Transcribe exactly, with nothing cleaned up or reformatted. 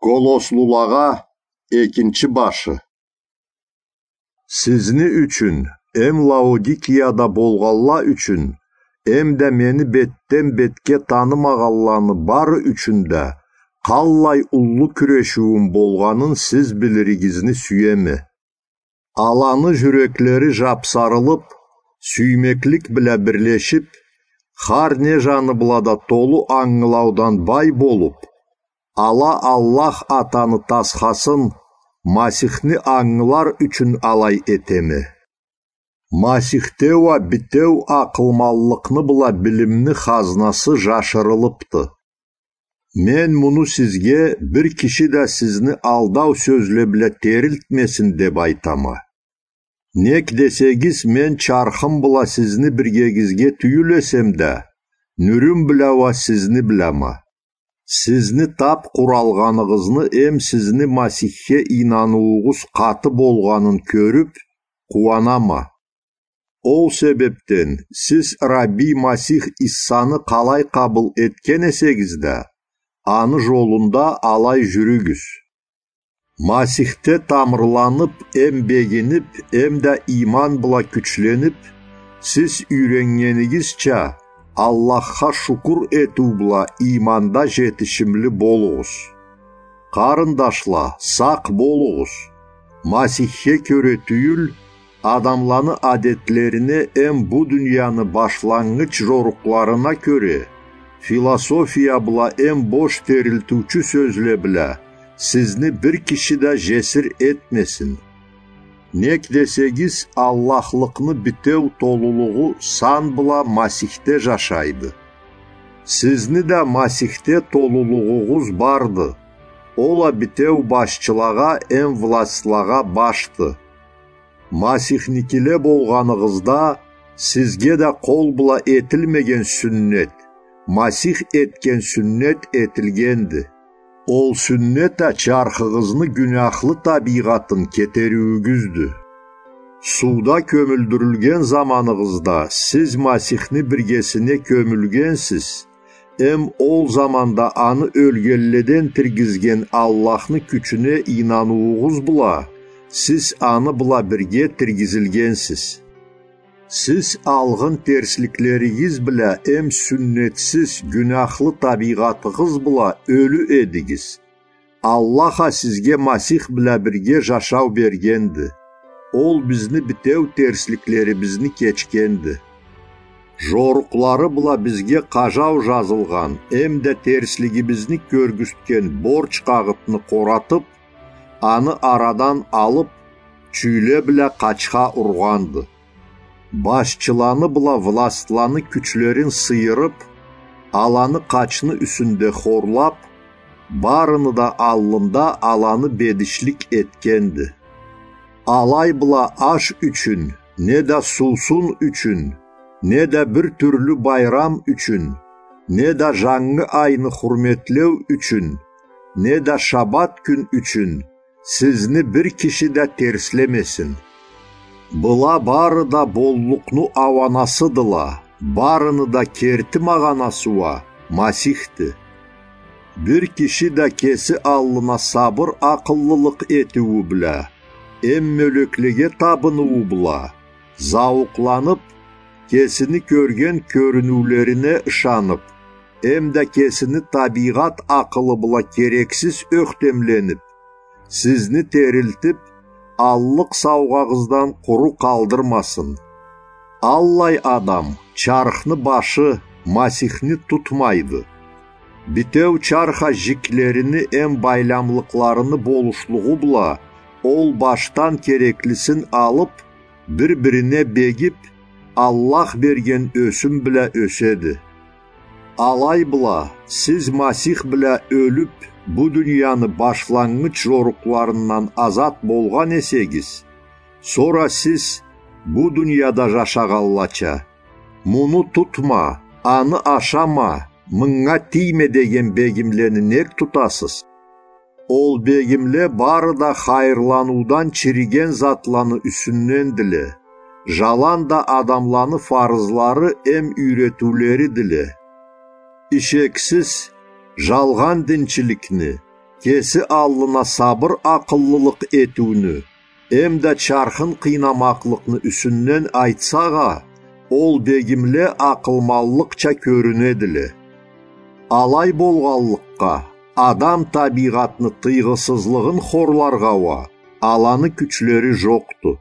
Колослулагъа экинчи башы. Сизни ючюн, эм Лаодикияда болгъанла ючюн, эм да мени бетден бетге танымагъанланы бары ючюн да къаллай уллу кюрешиуюм болгъанын сиз билиригизни сюеме. Аланы жюреклери жапсарылып, сюймеклик бла бирлешип, хар не жаны бла да толу ангылаудан бай болуп, ала Аллах Атаны тасхасын Масихни ангылар ючюн алай этеме. Масихде уа битеу акъылманлыкъны бла билимни хазнасы жашырылыпды. Мен муну сизге бир киши да сизни алдау сёзле бла терилтмесин деп айтама. Нек десегиз, мен чархым бла сизни биргегизге тюйюл эсем да, нюрюм бла уа сизни блама. Сизни тап къуралгъаныгъызны эм сизни Масихге ийнаныуугъуз къаты болгъанын кёрюп, къууанама. Ол себепден сиз Рабби Масих Иссаны къалай къабыл этген эсегиз да, аны жолунда алай жюрюгюз. Масихде тамырланып, эм бегинип, эм да ийман бла кючленип, сиз юйреннгенигизча, Аллахха шукур этиу бла ийманда жетишимли болугъуз. Къарындашла, сакъ болугъуз. Масихге кёре тюйюл, адамланы адетлерине эм бу дунияны башланнгыч жорукъларына кёре, философия бла эм бош терилтиучю сёзле бла сизни бир киши да жесир этмесин. Нек десегиз, Аллахлыкъны битеу толулугъу сан бла Масихде жашайды. Сизни да Масихде толулугъугъуз барды. Ол а битеу башчылагъа эм властьлагъа башды. Масихникиле болгъаныгъызда, сизге да къол бла этилмеген сюннет, Масих этген сюннет этилгенди. Ол сюннет а чархыгъызны гюняхлы табийгъатын кетериуюгюздю. Сууда кёмюлдюрюлген заманыгъызда сиз Масихни биргесине кёмюлгенсиз, эм ол заманда аны ёлгенледен тиргизген Аллахны кючюне ийнаныуугъуз бла сиз аны бла бирге тиргизилгенсиз. Сиз алгъын терсликлеригиз бла эм сюннетсиз, гюняхлы табийгъатыгъыз бла ёлю эдигиз. Аллах а сизге Масих бла бирге жашау бергенди. Ол бизни битеу терсликлерибизни кечгенди. Жорукълары бла бизге къажау жазылгъан, эм да терслигибизни кёргюзтген борч къагъытны къоратып, аны арадан алып, чюйле бла къачха ургъанды. Башчыланы бла властьланы кючлерин сыйырып, аланы къачны юсюнде хорлап, барыны да аллында аланы бедишлик этгенди. Алай бла аш ючюн, не да суусун ючюн, не да бир тюрлю байрам ючюн, не да жангы айны хурметлеу ючюн, не да шабат кюн ючюн сизни бир киши да терслемесин. Была бары да боллукъну ауанасыдыла, барыны да керти магъанасы уа Масихди. Бир киши да кеси аллына сабыр акъыллылыкъ этиую бла, эм мёлеклеге табыныуу бла, зауукъланып, кесини кёрген кёрюнюулерине ышанып, эм да кесини табийгъат акъылы бла керексиз ёхтемленип, сизни терилтип, аллыкъ саугъагъыздан къуру къалдырмасын. Аллай адам чархны башы Масихни тутмайды. Битеу чарх а жиклерини эм байламлыкъларыны болушлугъу бла ол башдан кереклисин алып, бир-бирине бегип, Аллах берген ёсюм бла ёседи. Алай бла, сиз Масих бла ёлюп, бу дунияны башланнгыч жорукъларындан азат болгъан эсегиз, сора сиз, бу дунияда жашагъанлача, муну тутма, аны ашама, мынга тийме деген бегимлени нек тутасыз? Ол бегимле бары да хайырланыудан чириген затланы юсюндендиле, жалан да адамланы фарызлары эм юйретиулеридиле. Ишексиз, жалгъан динчиликни, кеси аллына сабыр акъыллылыкъ этиуню эмда чархын къыйнамакълыкъны юсюнден айтсагъа, ол дегимле акъылманлыкъча кёрюнедиле. Алай болгъанлыкъгъа, адам табийгъатны тыйгъысызлыгъын хорларгъа уа аланы кючлери жокъду.